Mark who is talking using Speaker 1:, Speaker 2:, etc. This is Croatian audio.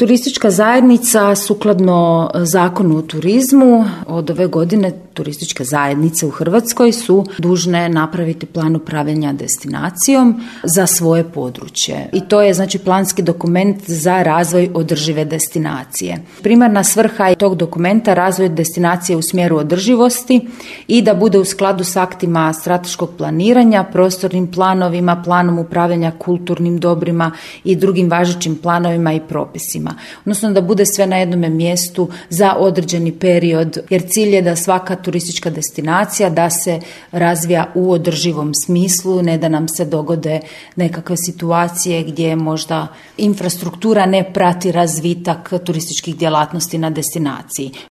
Speaker 1: Turistička zajednica sukladno Zakonu o turizmu od ove godine turističke zajednice u Hrvatskoj su dužne napraviti plan upravljanja destinacijom za svoje područje. I to je znači planski dokument za razvoj održive destinacije. Primarna svrha je tog dokumenta razvoj destinacije u smjeru održivosti i da bude u skladu s aktima strateškog planiranja, prostornim planovima, planom upravljanja kulturnim dobrima i drugim važećim planovima i propisima. Odnosno da bude sve na jednom mjestu za određeni period, jer cilj je da svaka turistička destinacija da se razvija u održivom smislu, ne da nam se dogode nekakve situacije gdje možda infrastruktura ne prati razvitak turističkih djelatnosti na destinaciji.